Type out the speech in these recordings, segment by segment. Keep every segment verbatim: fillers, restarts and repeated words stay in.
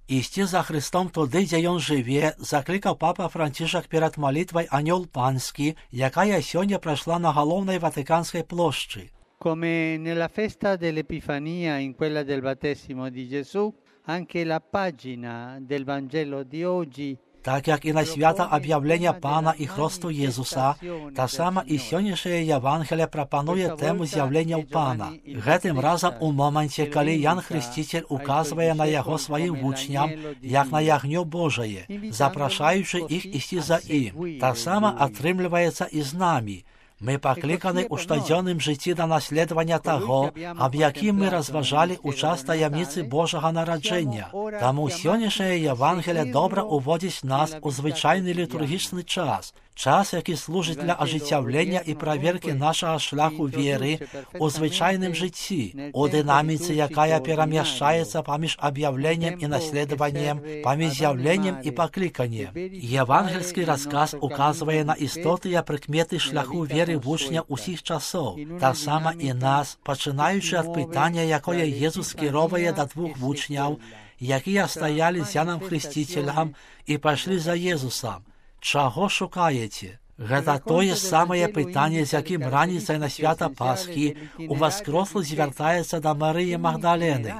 Ісці за Христом туди, дзе ён жыве, заклікаў папа Францішак перад малітвай «Анёл панскі», якая сёння прайшла на галоўнай Ватыканскай плошчы. Come nella festa dell'Epifania, in quella del battesimo di Gesù, anche la pagina del Vangelo di oggi. Так як і на свята аб'яўлення Пана і Хросту Єзуса, та сама і сённяшняе Євангелие прапануе тэму з'яўленняў Пана. Гэтым разам у моманце, калі Ян Хрысціцель указвае на яго сваім вучням, як на ягнё Божае, запрашаючы іх ісці за ім. Та сама атрымліваецца і з намі. Мы пакліканы ў штодзённым жыцці да наследавання таго, аб якім мы разважалі ў час таямніцы Божага нараджэння. Таму сённяшняе Євангелие добра уводзіць нас у звычайны літургічны час, час, які служыць для ажыццяўлення і праверкі нашага шляху веры у звычайным жыцці, у дынаміцы, якая перамяшчаецца паміж аб'яўленнем і наследаваннем, паміж з'яўленнем і пакліканнем. Євангельскі расказ указвае на істотныя прыкметы шляху веры вучня ўсіх часоў, таксама і нас, пачынаючы ад пытання, якое Езус скіроўвае да двух вучняў, якія стаялі з Яном Хрысціцелем і пайшлі за Езусам. Чаго шукаеце? Гэта тое самае пытанне, з якім раніцай на свята Пасхі уваскрослы звяртаецца да Марыі Магдалены.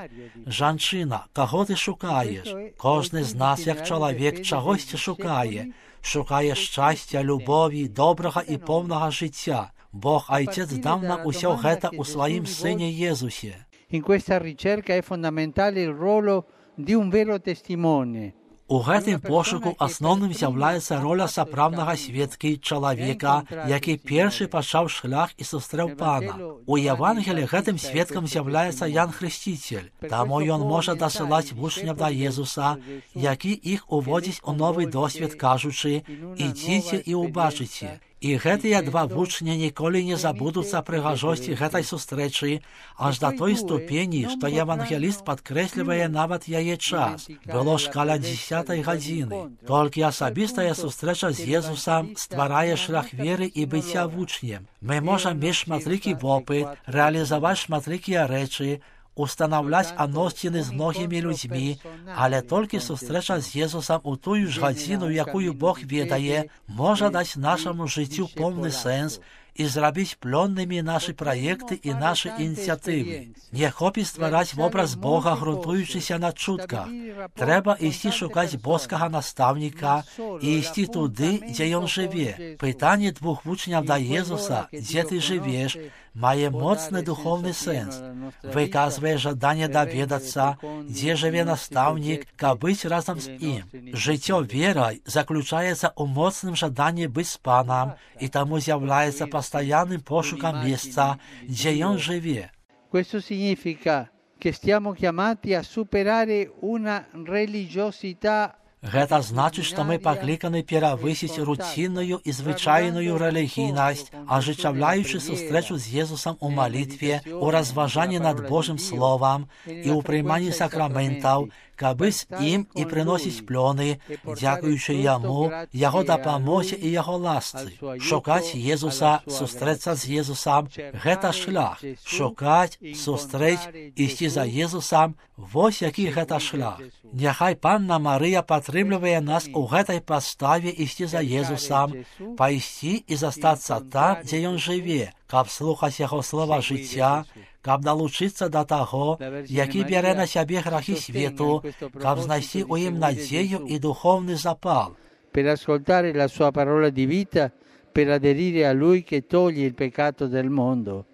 Жанчына, каго ты шукаеш? Кожны з нас, як чалавек, чагосьці шукае. Шукае шчасця, любові, добрага і поўнага жыцця. Бог Айцец даў нам усё гэта ў сваім Сыне Езусе. In questa ricerca è fondamentale il ruolo di un vero testimone. У гэтым пошуку асноўным з'яўляецца роля сапраўднага сведкі чалавека, які першы пачаў шлях і сустрэў Пана. У Евангелі гэтым сведкам з'яўляецца Ян Хрысціцель, таму ён можа дасылаць вучняў да Езуса, які іх уводзіць у новы досвед, кажучы: «Ідзіце і ўбачыце». І гэтыя два вучня ніколі не забудуцца прыгажосці гэтай сустрэчы, аж да той ступені, што евангеліст падкрэслівае нават яе час. Было ж каля дзесятай гадзіны. Толькі асабістая сустрэча з Езусам стварае шлях веры і быцця вучнем. Мы можам мець шматлікі вопыт, рэалізаваць шматлікія рэчы, устанаўляць адносіны з многімі людзьмі, але толькі сустрэча з Езусам у тую ж гадзіну, якую Бог ведае, можа даць нашаму жыццю поўны сэнс і зрабіць плённымі нашы праекты і нашы ініцыятывы. Не хопіць ствараць вобраз Бога, грунтуючыся на чутках. Трэба ісці шукаць боскага настаўніка і ісці туды, дзе ён жыве. Пытанне двух вучняў да Езуса, дзе ты жывеш, мае моцны духоўны сэнс. Выказвае жаданне даведацца, дзе жыве настаўнік, каб быць разам з ім. Жыццё верай заключаецца ў моцным жаданні быць з Панам і таму з'яўляецца пастаянным пошукам месца, дзе ён жыве. Questo significa che stiamo chiamati a superare una religiosità. Гэта значыць, што мы пакліканы перавысіць руцінную і звычайную рэлігійнасць, ажыццяўляючы сустрэчу з Езусам у малітве, у разважанні над Божым Словам і ў прыйманні сакраментаў, каб быць ім і прыносіць плёны, дзякуючы яму, яго дапамозе і яго ласцы. Шукаць Езуса, сустрэцца з Езусам – гэта шлях. Шукаць, сустрэць, ісці за Езусам – вось які гэта шлях. Няхай Панна Марыя падтрымлівае нас у гэтай паставе ісці за Езусам, пайсці і застацца там, дзе ён жыве, каб слухаць яго слова жыцця, каб далучыцца да таго, які бярэ на сябе грахі свету, каб знайсці ў ім надзею і духовны запал. Per ascoltare la sua parola di vita, per aderire a lui che toglie il peccato del mondo,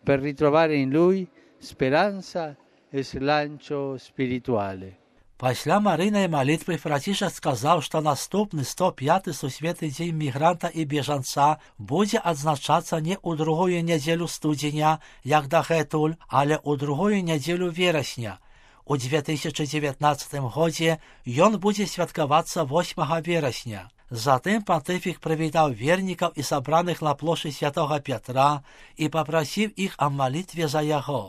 per ritrovare in lui speranza e slancio spirituale. Пасля марыйнай малітвы Францішак сказаў, што наступны сто пяты сусветны дзень мігранта і бежанца будзе адзначацца не ў другую нядзелю студзеня, як дагэтуль, але ў другую нядзелю верасня. У дзве тысячы дзевятнаццатым годзе ён будзе святкавацца восьмага верасня. Затым пантыфік прывітаў вернікаў і сабраных на плошчы святога Пятра і папрасіў іх аб малітве за яго.